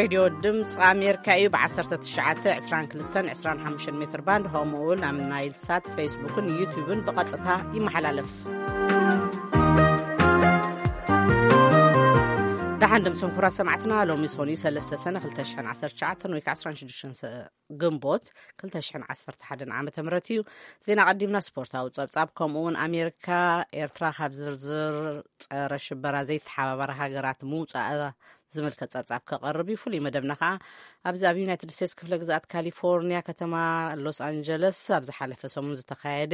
ሬድዮ ድምፂ ኣሜሪካ እዩ። ብ1922-25 ሜትር ባንድ፣ ከምኡ እውን ኣብ ናይል ሳት፣ ፌስቡክን ዩቲዩብን ብቐጥታ ይመሓላለፍ። ደሓን ድምፅን ኩራ ሰማዕትና፣ ሎሚ ሶኒ 3 ሰነ 2019 ወይ ከዓ 16 ግንቦት 2011 ዓ ም እዩ። ዜና ቀዲምና፣ ስፖርታዊ ጸብጻብ፣ ከምኡ እውን ኣሜሪካ ኤርትራ ካብ ዝርዝር ጸረ ሽበራ ዘይተሓባበራ ሃገራት ምውጻኣ ዝምልከት ጸብጻብ ከቐርብ እዩ። ፍሉይ መደብና ከኣ ኣብዚ ኣብ ዩናይትድ ስቴትስ ክፍለ ግዝኣት ካሊፎርኒያ ከተማ ሎስ ኣንጀለስ ኣብ ዝሓለፈ ሰሙን ዝተኻየደ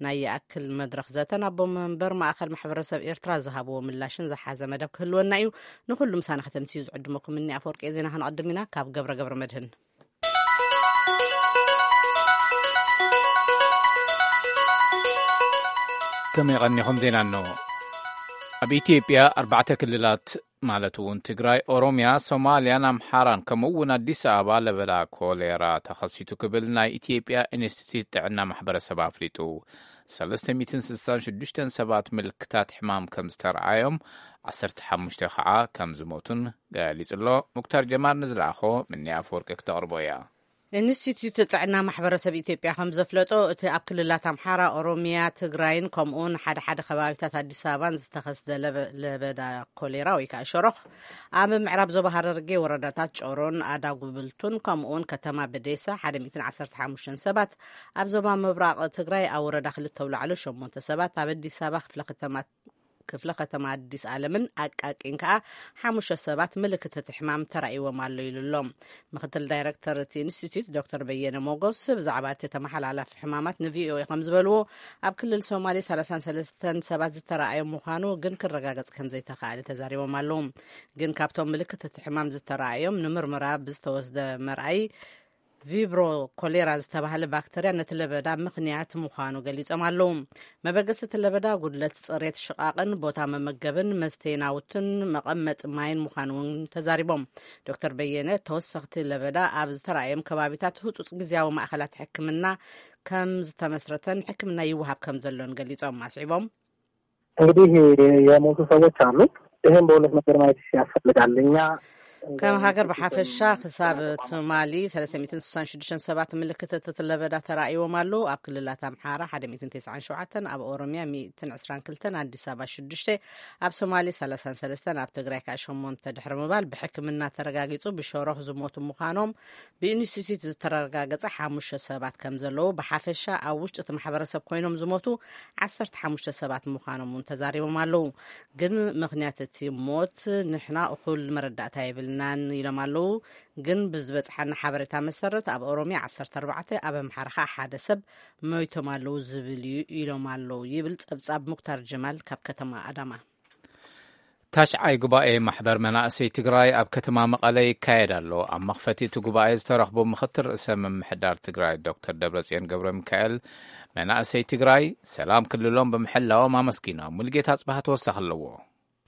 ናይ ይኣክል መድረኽ ዘተን ኣቦ መንበር ማእከል ማሕበረሰብ ኤርትራ ዝሃብዎ ምላሽን ዝሓዘ መደብ ክህልወና እዩ። ንኹሉ ምሳና ከተምትዩ ዝዕድመኩም እኒ ኣፈወርቂ ዜና ክንቐድም ኢና። ካብ ገብረ ገብረ መድህን። ከመይ ቀኒኹም? ዜና እነሆ። ኣብ ኢትዮጵያ ኣርባዕተ ክልላት፣ ማለት እውን ትግራይ፣ ኦሮምያ፣ ሶማልያን ኣምሓራን፣ ከምኡ እውን ኣዲስ ኣበባ ለበዳ ኮሌራ ተኸሲቱ ክብል ናይ ኢትዮጵያ ኢንስቲትዩት ጥዕና ማሕበረሰብ ኣፍሊጡ። 366 ሰባት ምልክታት ሕማም ከም ዝተረኣዮም፣ 15 ከዓ ከም ዝሞቱን ገሊጹ ኣሎ። ሙክታር ጀማል ንዝለኣኾ ምኒ ኣፈወርቂ ክተቕርቦ እያ። ኢንስቲትዩት ጥዕና ማሕበረሰብ ኢትዮጵያ ከም ዘፍለጦ፣ እቲ ኣብ ክልላት ኣምሓራ፣ ኦሮሚያ፣ ትግራይን ከምኡውን ሓደ ሓደ ከባቢታት ኣዲስ ኣበባን ዝተኸስተ ለበ-፣ ለበዳ ኮሌራ ወይ ከዓ ሸሮኽ፣ ኣብ ምዕራብ ዞባ ሃረርጌ ወረዳታት ጮሮን ኣዳጉብልቱን ከምኡውን ከተማ በዴሳ 115 ሰባት፣ ኣብ ዞባ ምብራቕ ትግራይ ኣብ ወረዳ ክልተ ኣውላዕሎ ሸሞንተ ሰባት፣ ኣብ ኣዲስ ኣበባ ክፍለ ከተማ ክፍለ ከተማ ኣዲስ ኣለምን ኣቃቂን ከኣ ሓሙሽተ ሰባት ምልክት እቲ ሕማም ተራእይዎም ኣሎ ኢሉ ኣሎ። ምክትል ዳይረክተር እቲ ኢንስቲትዩት ዶክተር በየነ ሞጎስ ብዛዕባ እቲ ተመሓላላፊ ሕማማት ንቪኦኤ ከም ዝበልዎ፣ ኣብ ክልል ሶማሌ 33 ሰባት ዝተረኣዮም ምዃኑ ግን ክረጋገጽ ከም ዘይተኻእለ ተዛሪቦም ኣለዉ። ግን ካብቶም ምልክት እቲ ሕማም ዝተረኣዮም ንምርመራ ብዝተወስደ መርኣይ ቪብሮ ኮሌራ ዝተባህለ ባክተርያ ነቲ ለበዳ ምኽንያት ምዃኑ ገሊጾም ኣለዉ። መበገሲ እቲ ለበዳ ጉድለት ጽሬት ሽቓቕን ቦታ መመገብን መስተይ ናውትን መቐመጢ ማይን ምዃኑ እውን ተዛሪቦም። ዶክተር በየነ፣ ተወሰኽቲ ለበዳ ኣብ ዝተራእዮም ከባቢታት ህጹጽ ግዝያዊ ማእኸላት ሕክምና ከም ዝተመስረተን ሕክምና ይወሃብ ከም ዘሎን ገሊጾም ኣስዒቦም። እንግዲህ የሞቱ ሰዎች አሉ። ይህም በሁለት ነገር ማየት ያስፈልጋል። እኛ ከም ሃገር ብሓፈሻ ክሳብ ትማሊ 366 ሰባት ምልክት እቲ ለበዳ ተራእይዎም ኣለዉ። ኣብ ክልላት ኣምሓራ 197፣ ኣብ ኦሮምያ 122፣ ኣዲስ ኣበባ ሽዱሽተ፣ ኣብ ሶማሌ 33፣ ኣብ ትግራይ ከኣ ሸሞንተ ድሕሪ ምባል ብሕክምና ተረጋጊጹ ብሸሮኽ ዝሞቱ ምዃኖም ብኢንስቲትዩት ዝተረጋገጸ ሓሙሽተ ሰባት ከም ዘለዉ፣ ብሓፈሻ ኣብ ውሽጢ እቲ ማሕበረሰብ ኮይኖም ዝሞቱ 15 ሰባት ምዃኖም እውን ተዛሪቦም ኣለዉ። ግን ምኽንያት እቲ ሞት ንሕና እኹል መረዳእታ የብልናን ኢሎም ኣለዉ። ግን ብዝበጽሓና ሓበሬታ መሰረት ኣብ ኦሮምያ 14፣ ኣብ ኣምሓራ ኸኣ ሓደ ሰብ ሞይቶም ኣለዉ ዝብል እዩ ኢሎም ኣለዉ ይብል ጸብጻብ ሙክታር ጀማል ካብ ከተማ ኣዳማ። ታሽዓይ ጉባኤ ማሕበር መናእሰይ ትግራይ ኣብ ከተማ መቐለ ይካየድ ኣሎ። ኣብ መኽፈቲ እቲ ጉባኤ ዝተረኽቡ ምኽትል ርእሰ ምምሕዳር ትግራይ ዶክተር ደብረጽዮን ገብረ ሚካኤል፣ መናእሰይ ትግራይ ሰላም ክልሎም ብምሕላዎም ኣመስጊኖም። ሙልጌታ ጽባህ ተወሳኺ ኣለዎ።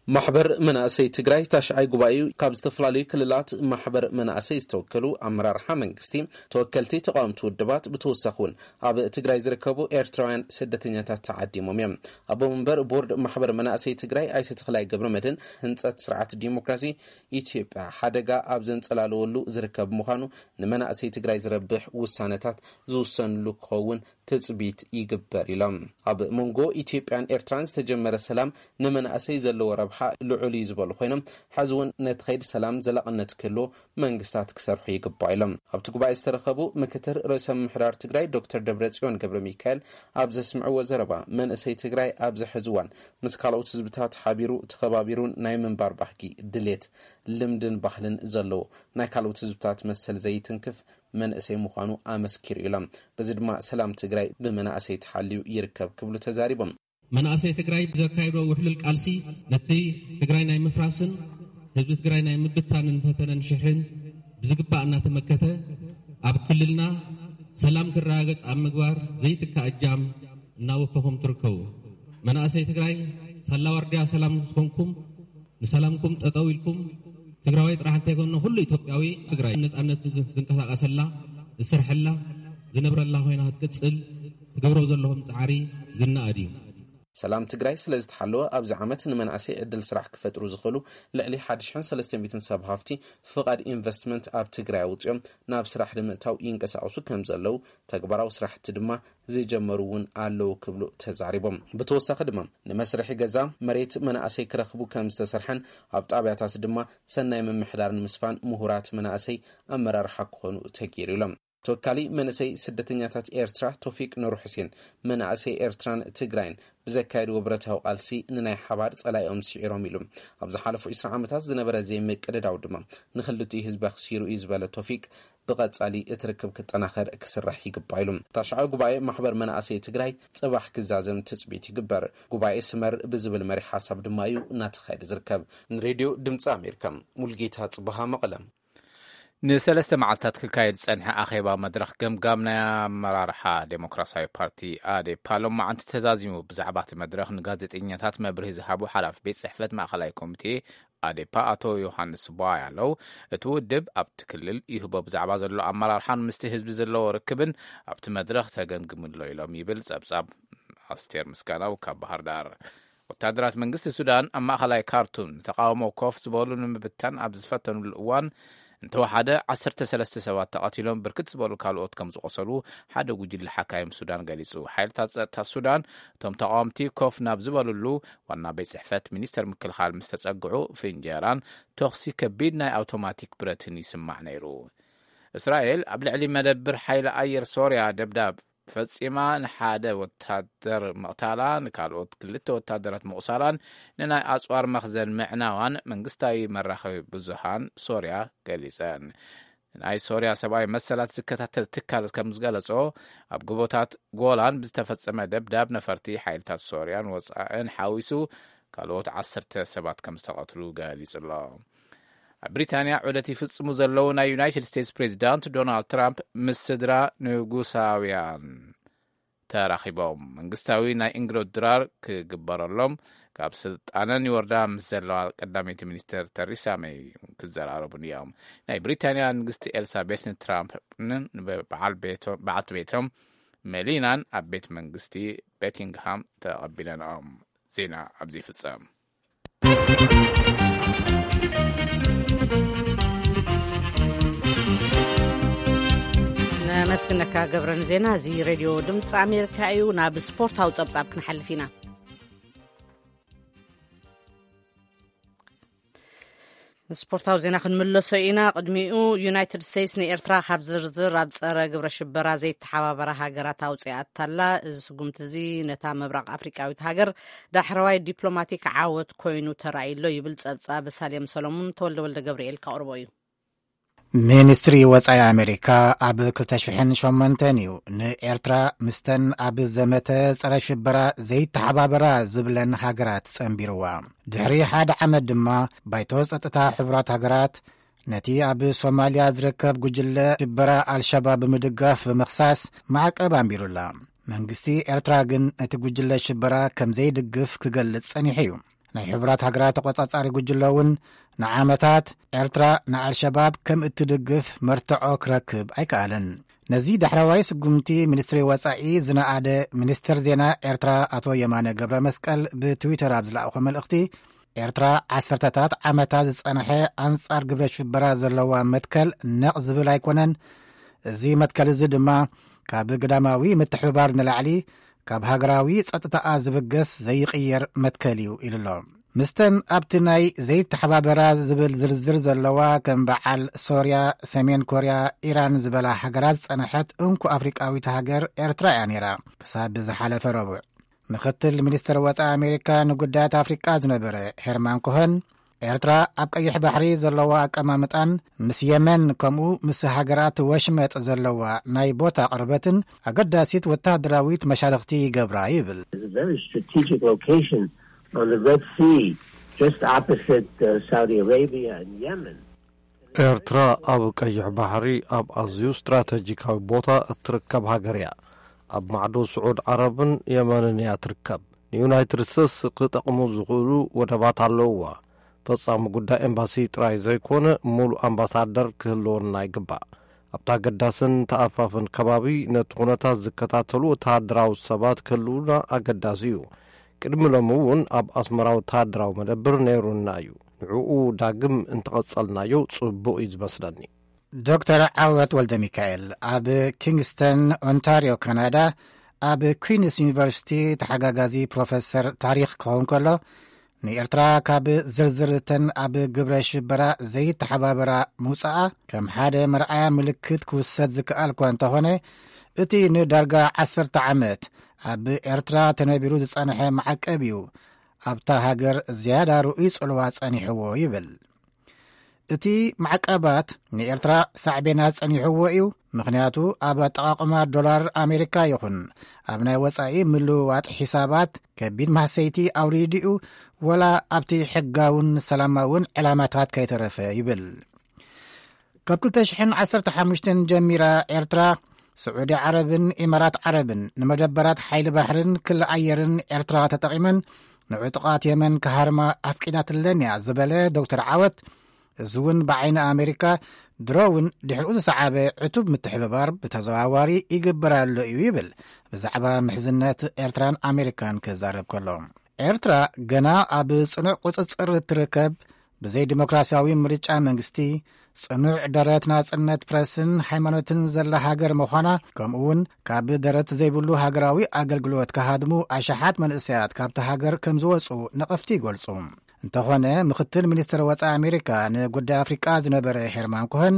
ማሕበር መናእሰይ ትግራይ ታሽዓይ ጉባኤኡ ካብ ዝተፈላለዩ ክልላት ማሕበር መናእሰይ ዝተወከሉ ኣመራርሓ መንግስቲ፣ ተወከልቲ ተቃወምቲ ውድባት፣ ብተወሳኺ እውን ኣብ ትግራይ ዝርከቡ ኤርትራውያን ስደተኛታት ተዓዲሞም እዮም። ኣቦ መንበር ቦርድ ማሕበር መናእሰይ ትግራይ ኣይተ ተኽላይ ገብረ መድህን፣ ህንፀት ስርዓት ዲሞክራሲ ኢትዮጵያ ሓደጋ ኣብ ዘንፀላለወሉ ዝርከብ ምዃኑ፣ ንመናእሰይ ትግራይ ዝረብሕ ውሳነታት ዝውሰንሉ ክኸውን ትፅቢት ይግበር ኢሎም። ኣብ መንጎ ኢትዮጵያን ኤርትራን ዝተጀመረ ሰላም ንመናእሰይ ዘለዎ ረብሓ ልዑል እዩ ዝበሉ ኮይኖም፣ ሕዚ እውን ነቲ ከይዲ ሰላም ዘላቕነት ክህልዎ መንግስታት ክሰርሑ ይግባእ ኢሎም። ኣብቲ ጉባኤ ዝተረኸቡ ምክትል ርእሰ ምምሕዳር ትግራይ ዶክተር ደብረጽዮን ገብረ ሚካኤል ኣብ ዘስምዕዎ ዘረባ፣ መንእሰይ ትግራይ ኣብዚ ሕዚ እዋን ምስ ካልኦት ህዝብታት ሓቢሩ ተኸባቢሩን ናይ ምንባር ባህጊ፣ ድሌት፣ ልምድን ባህልን ዘለዎ፣ ናይ ካልኦት ህዝብታት መሰል ዘይትንክፍ መንእሰይ ምዃኑ ኣመስኪሩ ኢሎም። በዚ ድማ ሰላም ትግራይ ብመናእሰይ ተሓልዩ ይርከብ ክብሉ ተዛሪቦም። መናእሰይ ትግራይ ብዘካየዶ ውሕሉል ቃልሲ ነቲ ትግራይ ናይ ምፍራስን ህዝቢ ትግራይ ናይ ምብታንን ፈተነን ሽሕን ብዝግባእ እናተመከተ፣ ኣብ ክልልና ሰላም ክረጋገፅ ኣብ ምግባር ዘይትካእ እጃም እናወፈኹም ትርከቡ። መናእሰይ ትግራይ ሳላ ዋርድያ ሰላም ዝኾንኩም፣ ንሰላምኩም ጠጠው ኢልኩም፣ ትግራዋይ ጥራሕ እንተይኮነ ኩሉ ኢትዮጵያዊ ትግራይ ነፃነት ዝንቀሳቀሰላ፣ ዝሰርሐላ፣ ዝነብረላ ኮይና ክትቅፅል ትገብሮ ዘለኹም ፃዕሪ ዝነኣድ እዩ። ሰላም ትግራይ ስለ ዝተሓለወ ኣብዚ ዓመት ንመናእሰይ ዕድል ስራሕ ክፈጥሩ ዝኽእሉ ልዕሊ ሓደ ሽሕን ሰለስተ ሚእትን ሰብ ሃፍቲ ፍቓድ ኢንቨስትመንት ኣብ ትግራይ ኣውፅኦም ናብ ስራሕ ንምእታው ይንቀሳቐሱ ከም ዘለዉ፣ ተግባራዊ ስራሕቲ ድማ ዝጀመሩ እውን ኣለዉ ክብሉ ተዛሪቦም። ብተወሳኺ ድማ ንመስርሒ ገዛ መሬት መናእሰይ ክረኽቡ ከም ዝተሰርሐን ኣብ ጣብያታት ድማ ሰናይ ምምሕዳር ንምስፋን ምሁራት መናእሰይ ኣመራርሓ ክኾኑ ተገይሩ ኢሎም። ተወካሊ መንእሰይ ስደተኛታት ኤርትራ ቶፊቅ ኑር ሑሴን፣ መናእሰይ ኤርትራን ትግራይን ብዘካየድዎ ብረታዊ ቃልሲ ንናይ ሓባር ጸላኢኦም ስዒሮም ኢሉ። ኣብ ዝሓለፉ ዕስራ ዓመታት ዝነበረ ዘይምቅድዳው ድማ ንኽልቲኡ ህዝቢ ኣኽሲሩ እዩ ዝበለ ቶፊቅ፣ ብቐጻሊ እቲ ርክብ ክጠናኸር ክስራሕ ይግባእ ኢሉ። ታሽዓዊ ጉባኤ ማሕበር መናእሰይ ትግራይ ጽባሕ ክዛዘም ትጽቢት ይግበር። ጉባኤ ስመር ብዝብል መሪ ሓሳብ ድማ እዩ እናተኻየደ ዝርከብ። ንሬድዮ ድምፂ ኣሜሪካ፣ ሙልጌታ ጽበሃ፣ መቐለ። ንሰለስተ መዓልታት ክካየድ ዝጸንሐ ኣኼባ መድረኽ ገምጋም ናይ ኣመራርሓ ዴሞክራሲያዊ ፓርቲ ኣዴፓ ሎማዓንቲ ተዛዚሙ። ብዛዕባ እቲ መድረኽ ንጋዜጠኛታት መብርሂ ዝሃቡ ሓላፊ ቤት ጽሕፈት ማእኸላይ ኮሚቴ ኣዴፓ ኣቶ ዮሃንስ ቧያለው፣ እቲ ውድብ ኣብቲ ክልል ይህቦ ብዛዕባ ዘሎ ኣመራርሓን ምስቲ ህዝቢ ዘለዎ ርክብን ኣብቲ መድረኽ ተገምግሙ ኣሎ ኢሎም ይብል ጸብጻብ ኣስቴር ምስጋናው ካብ ባህር ዳር። ወታደራት መንግስቲ ሱዳን ኣብ ማእኸላይ ካርቱም ንተቃውሞ ኮፍ ዝበሉ ንምብታን ኣብ ዝፈተኑሉ እዋን እንተወሓደ ዓሰርተ ሰለስተ ሰባት ተቐቲሎም፣ ብርክት ዝበሉ ካልኦት ከም ዝቆሰሉ ሓደ ጉጅለ ሓካይም ሱዳን ገሊጹ። ሓይልታት ጸጥታ ሱዳን እቶም ተቃወምቲ ኮፍ ናብ ዝበሉሉ ዋና ቤት ጽሕፈት ሚኒስተር ምክልኻል ምስ ተጸግዑ፣ ፍንጀራን ተኹሲ ከቢድ ናይ ኣውቶማቲክ ብረትን ይስማዕ ነይሩ። እስራኤል ኣብ ልዕሊ መደብር ሓይሊ ኣየር ሶርያ ደብዳብ ፈጺማ፣ ንሓደ ወታደር ምቕታላ፣ ንካልኦት ክልተ ወታደራት ምቑሳላን ንናይ ኣጽዋር መኽዘን ምዕናዋን መንግስታዊ መራኸቢ ብዙሃን ሶርያ ገሊጸን። ናይ ሶርያ ሰብኣዊ መሰላት ዝከታተል ትካል ከም ዝገለጾ፣ ኣብ ጎቦታት ጎላን ብዝተፈጸመ ደብዳብ ነፈርቲ ሓይልታት ሶርያን ወጻእን ሓዊሱ ካልኦት ዓሰርተ ሰባት ከም ዝተቐትሉ ገሊጹ ኣሎ። ኣብ ብሪታንያ ዑደት ይፍጽሙ ዘለዉ ናይ ዩናይትድ ስቴትስ ፕሬዚዳንት ዶናልድ ትራምፕ ምስ ስድራ ንጉሳውያን ተራኺቦም። መንግስታዊ ናይ እንግዶት ድራር ክግበረሎም፣ ካብ ስልጣነን ይወርዳ ምስ ዘለዋ ቀዳመይቲ ሚኒስትር ተሪሳ መይ ክዘራረቡን እዮም። ናይ ብሪታንያ ንግስቲ ኤልሳቤት ንትራምፕን ንበዓል ቤቶ-፣ በዓልቲ ቤቶም መሊናን ኣብ ቤት መንግስቲ በኪንግሃም ተቐቢለንኦም። ዜና ኣብዚ ይፍጸም። ነመስግነካ ገብረ ንዜና። እዚ ሬድዮ ድምፂ ኣሜሪካ እዩ። ናብ ስፖርታዊ ጸብጻብ ክንሓልፍ ኢና። ንስፖርታዊ ዜና ክንምለሶ ኢና። ቅድሚኡ፣ ዩናይትድ ስቴትስ ንኤርትራ ካብ ዝርዝር ኣብ ጸረ ግብረ ሽበራ ዘይተሓባበራ ሃገራት ኣውጺኣታላ። እዚ ስጉምቲ እዚ ነታ ምብራቕ ኣፍሪቃዊት ሃገር ዳሕረዋይ ዲፕሎማቲክ ዓወት ኮይኑ ተራእዩሎ ይብል ጸብጻብ ሳሌም ሰሎሙን። ተወልደ ወልደ ገብርኤል ከቕርቦ እዩ። ሚኒስትሪ ወጻኢ ኣሜሪካ ኣብ ክልተ ሽሕን ሸሞንተን እዩ ንኤርትራ ምስተን ኣብ ዘመተ ጸረ ሽበራ ዘይተሓባበራ ዝብለን ሃገራት ጸንቢርዋ። ድሕሪ ሓደ ዓመት ድማ ባይቶ ጸጥታ ሕቡራት ሃገራት ነቲ ኣብ ሶማልያ ዝርከብ ጉጅለ ሽበራ ኣልሸባብ ብምድጋፍ ብምኽሳስ ማዕቀብ ኣንቢሩላ። መንግስቲ ኤርትራ ግን ነቲ ጉጅለ ሽበራ ከም ዘይድግፍ ክገልጽ ጸኒሑ እዩ። ናይ ሕቡራት ሃገራት ተቖጻጻሪ ጉጅለ እውን ንዓመታት ኤርትራ ንኣልሸባብ ከም እትድግፍ መርትዖ ክረክብ ኣይከኣለን። ነዚ ዳሕረዋይ ስጉምቲ ሚኒስትሪ ወጻኢ ዝነኣደ ሚኒስትር ዜና ኤርትራ ኣቶ የማነ ገብረ መስቀል ብትዊተር ኣብ ዝለኣኾ መልእኽቲ፣ ኤርትራ ዓሰርተታት ዓመታት ዝጸንሐ ኣንጻር ግብረ ሽበራ ዘለዋ መትከል ነቕ ዝብል ኣይኮነን። እዚ መትከል እዚ ድማ ካብ ግዳማዊ ምትሕብባር ንላዕሊ ካብ ሃገራዊ ጸጥታኣ ዝብገስ ዘይቕየር መትከል እዩ ኢሉ ኣሎ። ምስተን ኣብቲ ናይ ዘይተሓባበራ ዝብል ዝርዝር ዘለዋ ከም በዓል ሶርያ፣ ሰሜን ኮርያ፣ ኢራን ዝበላ ሃገራት ዝጸንሐት እንኮ ኣፍሪቃዊት ሃገር ኤርትራ እያ ነይራ። ክሳብ ዝሓለፈ ረቡዕ ምኽትል ሚኒስትር ወጻኢ ኣሜሪካ ንጉዳያት ኣፍሪቃ ዝነበረ ሄርማን ኮኸን፣ ኤርትራ ኣብ ቀይሕ ባሕሪ ዘለዋ ኣቀማምጣን ምስ የመን ከምኡ ምስ ሃገራት ወሽመጥ ዘለዋ ናይ ቦታ ቅርበትን ኣገዳሲት ወታደራዊት መሻርኽቲ ይገብራ ይብል። It's a very strategic location on the Red Sea, just opposite uh, Saudi Arabia and Yemen. ኤርትራ ኣብ ቀይሕ ባሕሪ ኣብ ኣዝዩ ስትራተጂካዊ ቦታ እትርከብ ሃገር እያ። ኣብ ማዕዶ ስዑድ ዓረብን የመንን እያ ትርከብ። ንዩናይትድ ስቴትስ ክጠቕሙ ዝኽእሉ ወደባት ኣለውዋ። ፈጻሚ ጉዳይ ኤምባሲ ጥራይ ዘይኮነ፣ ሙሉእ ኣምባሳደር ክህልወና ይግባእ። ኣብቲ ኣገዳስን ተኣፋፍን ከባቢ ነቲ ኩነታት ዝከታተሉ ወተሃደራዊ ሰባት ክህልዉና ኣገዳሲ እዩ። ቅድሚ ሎሚ እውን ኣብ ኣስመራ ወተሃደራዊ መደብር ነይሩና እዩ። ንዕኡ ዳግም እንተቐጸልናዮ ጽቡቕ እዩ ዝመስለኒ። ዶክተር ዓወት ወልደ ሚካኤል ኣብ ኪንግስተን ኦንታርዮ ካናዳ ኣብ ኩዊንስ ዩኒቨርሲቲ ተሓጋጋዚ ፕሮፌሰር ታሪኽ ክኸውን ከሎ፣ ንኤርትራ ካብ ዝርዝርተን ኣብ ግብረ ሽበራ ዘይተሓባበራ ምውጻኣ ከም ሓደ መርኣያ ምልክት ክውሰድ ዝከኣል እኳ እንተኾነ፣ እቲ ንዳርጋ ዓሰርተ ዓመት ኣብ ኤርትራ ተነቢሩ ዝጸንሐ ማዕቀብ እዩ ኣብታ ሃገር ዝያዳ ርኡይ ጽልዋ ጸኒሕዎ ይብል። እቲ ማዕቀባት ንኤርትራ ሳዕቤናት ጸኒሕዎ እዩ። ምኽንያቱ ኣብ ኣጠቓቕማ ዶላር ኣሜሪካ ይኹን ኣብ ናይ ወጻኢ ምልውዋጥ ሒሳባት ከቢድ ማህሰይቲ ኣውሪዱ እዩ፣ ወላ ኣብቲ ሕጋውን ሰላማውን ዕላማታት ከይተረፈ ይብል። ካብ ክልተ ሽሕን ዓሰርተ ሓሙሽተን ጀሚራ ኤርትራ፣ ስዑዲ ዓረብን ኢማራት ዓረብን ንመደበራት ሓይሊ ባሕርን ክሊ ኣየርን ኤርትራ ተጠቒመን ንዕጡቓት የመን ክሃርማ ኣፍቂዳትለን እያ ዝበለ ዶክተር ዓወት፣ እዚ እውን ብዓይኒ ኣሜሪካ ድሮ እውን ድሕሪኡ ዝሰዓበ ዕቱብ ምትሕብባር ብተዘዋዋሪ ይግበር ኣሎ እዩ ይብል። ብዛዕባ ምሕዝነት ኤርትራን ኣሜሪካን ክዛረብ ከሎ፣ ኤርትራ ገና ኣብ ጽኑዕ ቁጽጽር እትርከብ፣ ብዘይ ዲሞክራሲያዊ ምርጫ መንግስቲ፣ ጽኑዕ ደረት ናጽነት ፕረስን ሃይማኖትን ዘላ ሃገር ምዃና፣ ከምኡ እውን ካብ ደረት ዘይብሉ ሃገራዊ ኣገልግሎት ክሃድሙ ኣሽሓት መንእሰያት ካብቲ ሃገር ከም ዝወጹ ነቐፍቲ ይገልጹ። እንተኾነ፣ ምኽትል ሚኒስትር ወጻኢ ኣሜሪካ ንጉዳይ ኣፍሪቃ ዝነበረ ሄርማን ኮሀን፣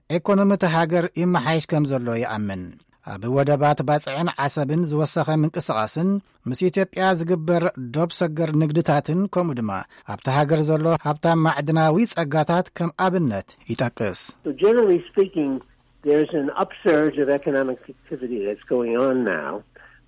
ኤኮኖሚ እቲ ሃገር ይመሓይሽ ከም ዘሎ ይኣምን። ኣብ ወደባት ባጽዕን ዓሰብን ዝወሰኸ ምንቅስቓስን ምስ ኢትዮጵያ ዝግበር ዶብ ሰገር ንግድታትን ከምኡ ድማ ኣብቲ ሃገር ዘሎ ሃብታም ማዕድናዊ ጸጋታት ከም ኣብነት ይጠቅስ። So generally speaking, there's an upsurge of economic activity that's going on now.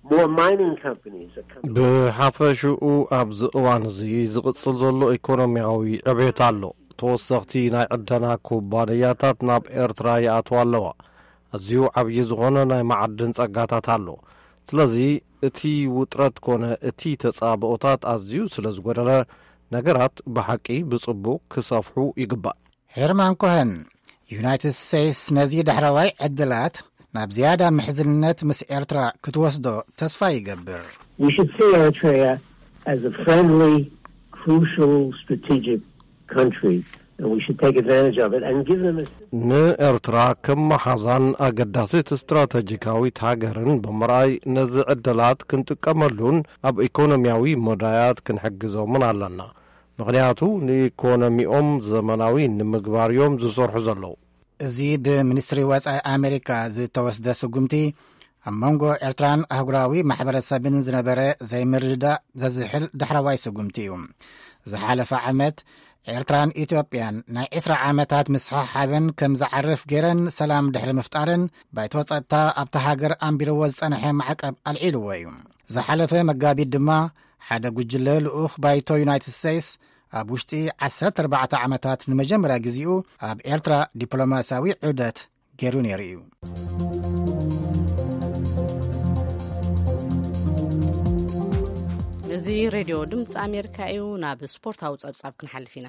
More mining companies are coming. ብሓፈሽኡ ኣብዚ እዋን እዚ ዝቕጽል ዘሎ ኢኮኖሚያዊ ዕቤት ኣሎ። ተወሰኽቲ ናይ ዕደና ኩባንያታት ናብ ኤርትራ ይኣትዋ ኣለዋ። ኣዝዩ ዓብዪ ዝኾነ ናይ መዓድን ጸጋታት ኣሎ። ስለዚ እቲ ውጥረት ኮነ እቲ ተጻብኦታት ኣዝዩ ስለ ዝጎደለ፣ ነገራት ብሓቂ ብጽቡቕ ክሰፍሑ ይግባእ። ሄርማን ኮሀን፣ ዩናይትድ ስቴትስ ነዚ ዳሕረዋይ ዕድላት ናብ ዝያዳ ምሕዝነት ምስ ኤርትራ ክትወስዶ ተስፋ ይገብር። We should see Eritrea as a friendly, crucial, strategic country, and we should take advantage of it and give them a ንኤርትራ ከም መሓዛን ኣገዳሲት ስትራተጂካዊት ሃገርን ብምርኣይ፣ ነዚ ዕድላት ክንጥቀመሉን ኣብ ኢኮኖሚያዊ መዳያት ክንሕግዞምን ኣለና። ምኽንያቱ ንኢኮኖሚኦም ዘመናዊ ንምግባር እዮም ዝሰርሑ ዘለዉ። እዚ ብሚኒስትሪ ወጻኢ ኣሜሪካ ዝተወስደ ስጉምቲ፣ ኣብ መንጎ ኤርትራን ኣህጉራዊ ማሕበረሰብን ዝነበረ ዘይምርድዳእ ዘዝሕል ዳሕረዋይ ስጉምቲ እዩ። ዝሓለፈ ዓመት፣ ኤርትራን ኢትዮጵያን ናይ ዕስራ ዓመታት ምስሕሓበን ከም ዝዓርፍ ገይረን ሰላም ድሕሪ ምፍጣረን፣ ባይቶ ጸጥታ ኣብታ ሃገር ኣንቢርዎ ዝጸንሐ ማዕቀብ ኣልዒልዎ እዩ። ዝሓለፈ መጋቢት ድማ፣ ሓደ ጉጅለ ልኡኽ ባይቶ ዩናይትድ ስቴትስ ኣብ ውሽጢ ዓሰርተ ኣርባዕተ ዓመታት ንመጀመርያ ግዜኡ ኣብ ኤርትራ ዲፕሎማስያዊ ዑደት ገይሩ ነይሩ እዩ። እዚ ሬድዮ ድምፂ ኣሜሪካ እዩ። ናብ ስፖርታዊ ጸብጻብ ክንሓልፍ ኢና።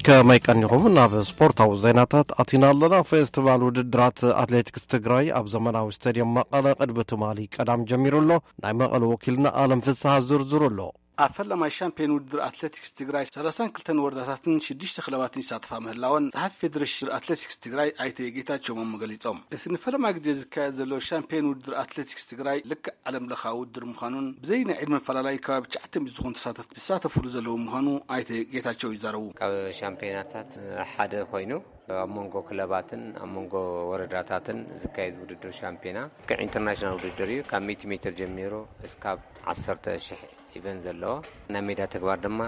ከመይ ቀኒኹም? ናብ ስፖርታዊ ዜናታት ኣቲና ኣለና። ፌስቲቫል ውድድራት ኣትሌቲክስ ትግራይ ኣብ ዘመናዊ ስቴድየም መቐለ ቅድሚ ትማሊ ቀዳም ጀሚሩ ኣሎ። ናይ መቐለ ወኪልና ኣለም ፍስሃ ዝርዝሩ ኣሎ። ኣብ ፈላማይ ሻምፒዮን ውድድር ኣትሌቲክስ ትግራይ ሰላሳን ክልተን ወረዳታትን ሽዱሽተ ክለባትን ይሳተፋ ምህላወን ጸሓፊ ፌዴሬሽን ኣትሌቲክስ ትግራይ ኣይተ ጌታቸው ማሞ ገሊጾም። እቲ ንፈለማ ግዜ ዝካየድ ዘሎ ሻምፒዮን ውድድር ኣትሌቲክስ ትግራይ ልክዕ ዓለም ለኻዊ ውድድር ምዃኑን ብዘይ ናይ ዕድመ ፈላላይ ከባቢ ትሽዓተ ሚእቲ ዝኾኑ ተሳተፍቲ ዝሳተፉሉ ዘለዉ ምዃኑ ኣይተ ጌታቸው ይዛረቡ። ካብ ሻምፒዮናታት ሓደ ኮይኑ ኣብ መንጎ ክለባትን ኣብ መንጎ ወረዳታትን ዝካየድ ውድድር ሻምፒዮና ልክዕ ኢንተርናሽናል ውድድር እዩ። ካብ ሚእቲ ሜትር ጀሚሩ እስካብ ዓሰርተ ሽሕ ኢቨንት ዘለዎ ናይ ሜዳ ተግባር ድማ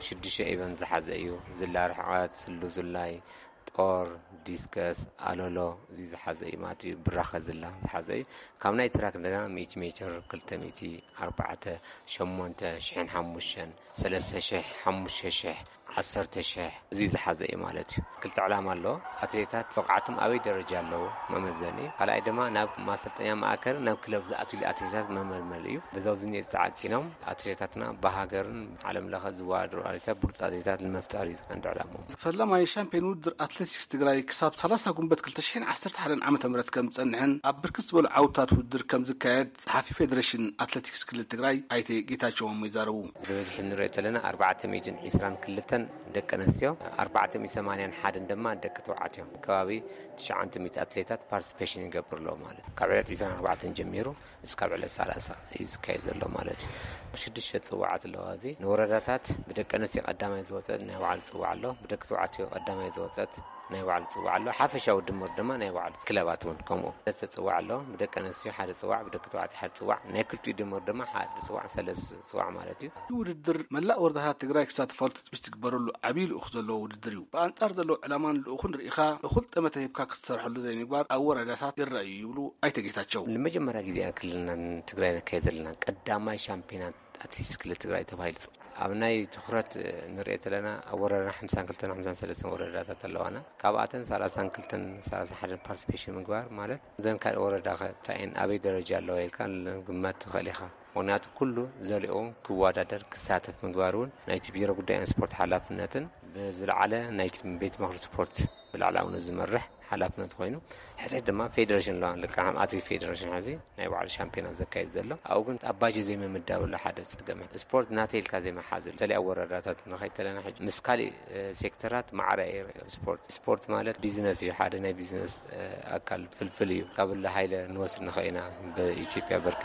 ሽዱሽተ ኢቨንት ዝሓዘ እዩ። ዝላ ርሕቀት፣ ስሉ ዝላይ፣ ጦር፣ ዲስከስ፣ ኣሎሎ እዚ ዝሓዘ እዩ ማለት እዩ። ብራኸ ዝላ ዝሓዘ እዩ። ካብ ናይ ትራክ እንደገና ሚእቲ ሜትር፣ ክልተ ሚእቲ፣ ኣርባዕተ፣ ሸሞንተ፣ ሽሕን ሓሙሽተን፣ ሰለስተ ሽሕ፣ ሓሙሽተ ሽሕ፣ ዓሰርተ ሺሕ እዚ ዝሓዘ እዩ ማለት እዩ። ክልተ ዕላማ ኣለዎ። ኣትሌታት ብቕዓቶም ኣበይ ደረጃ ኣለዉ መመዘኒ፣ ካልኣይ ድማ ናብ ማሰልጠኛ ማእከል ናብ ክለብ ዝኣትሉ ኣትሌታት መመልመል እዩ። በዛው ዝኒኤ ፃዕቂኖም ኣትሌታትና ብሃገርን ዓለም ለኸ ዝወዳደሩ ኣትሌታት ብሉፅ ኣትሌታት ንምፍጣር እዩ ቀንዲ ዕላማ። ፈላማይ ሻምፒዮን ውድድር ኣትሌቲክስ ትግራይ ክሳብ ሰላሳ ጉንበት ክልተ ሽሕን ዓሰርተ ሓደን ዓመተ ምህረት ከም ዝጸንሕን ኣብ ብርክት ዝበሉ ዓውታት ውድድር ከም ዝካየድ ጸሓፊ ፌደሬሽን ኣትሌቲክስ ክልል ትግራይ ኣይተ ጌታቸው ማሞ ይዛረቡ። ብብዝሒ እንሪኦ ዘለና ኣርባዕተ ሚእትን ዕስራን ክልተን ደቂ ኣንስትዮ፣ ኣርባዕተ ሚእትን ሰማንያን ሓደን ድማ ደቂ ተባዕትዮ። ከባቢ ትሽዓተ ሚእቲ ኣትሌታት ፓርቲሲፔሽን ይገብር ኣለዉ ማለት እዩ። ካብ ዕለት ዕስራን ኣርባዕተን ጀሚሩ እስካብ ዕለት ሰላሳ እዩ ዝካየድ ዘሎ ማለት እዩ። ሽዱሽተ ጽዋዓት ኣለዋ። እዚ ንወረዳታት ብደቂ ኣንስትዮ ቀዳማይ ዝወጸት ናይ ባዕሉ ጽዋዕ ኣሎ፣ ብደቂ ተባዕትዮ ቀዳማይ ዝወጸት ናይ ባዕሉ ጽዋዕ ኣሎ፣ ሓፈሻዊ ድምር ድማ ናይ ባዕሉ። ክለባት እውን ከምኡ ሰለስተ ጽዋዕ ኣሎ፣ ብደቂ ኣንስትዮ ሓደ ጽዋዕ፣ ብደቂ ተባዕትዮ ሓደ ጽዋዕ፣ ናይ ክልቲኡ ድምር ድማ ሓደ ጽዋዕ፣ ሰለስተ ጽዋዕ ማለት እዩ። እቲ ውድድር መላእ ወረዳታት ትግራይ ክሳተፋሉ ትጽቢት ዝግበረሉ ዓብዪ ልኡኽ ዘለዎ ውድድር እዩ። ብኣንጻር ዘለዎ ዕላማን ልኡኽን ርኢኻ እኹል ጠመተ ሂብካ ክትሰርሐሉ ዘይምግባር ኣብ ወረዳታት ይረኣዩ ይብሉ ኣይተ ጌታቸው። ንመጀመርያ ግዜ ኢና ክልልና ትግራይ ነካይድ ዘለና። ቀዳማይ ሻምፒዮናት ኣትሌቲክስ ክልል ትግራይ ተባሂሉ ይፅዋዕ። ኣብ ናይ ትኹረት ንሪኦ ዘለና ኣብ ወረዳና ሓምሳን ክልተን ሓምሳን ሰለስተን ወረዳታት ኣለዋና። ካብኣተን ሰላሳን ክልተን ሰላሳ ሓደን ፓርቲሲፔሽን ምግባር ማለት እዘን ካልእ ወረዳ ከ እንታይ እየን ኣበይ ደረጃ ኣለዋ ኢልካ ግማት ትኽእል ኢኻ። ምኽንያቱ ኩሉ ዘሊኡ ክወዳደር ክሳተፍ ምግባር እውን ናይቲ ቢሮ ጉዳይ ስፖርት ሓላፍነትን ብዝለዓለ ናይቲ ቤት ምኽሪ ስፖርት ብላዕላውነት ዝመርሕ ሓላፍነት ኮይኑ ሕዚ ድማ ፌደሬሽን ኣለዋ። ልክዕ ከም ኣትሌት ፌደሬሽን ሕዚ ናይ ባዕሉ ሻምፒዮና ዘካይድ ዘሎ ኣብኡ ግን ኣብ ባጀት ዘይምምዳብሉ ሓደ ጸገም ስፖርት ናተይ ኢልካ ዘይመሓዝሉ ተለያ ወረዳታት ንኸይተለና ሕጂ ምስ ካሊእ እ፣ ሴክተራት ማዕረ እዩ ስፖርት። ስፖርት ማለት ቢዝነስ እዩ፣ ሓደ ናይ ቢዝነስ እ፣ ኣካል ፍልፍል እዩ። ካብ እለ ሃይለ ንወስድ ንኸኢና ብኢትዮጵያ ብርኪ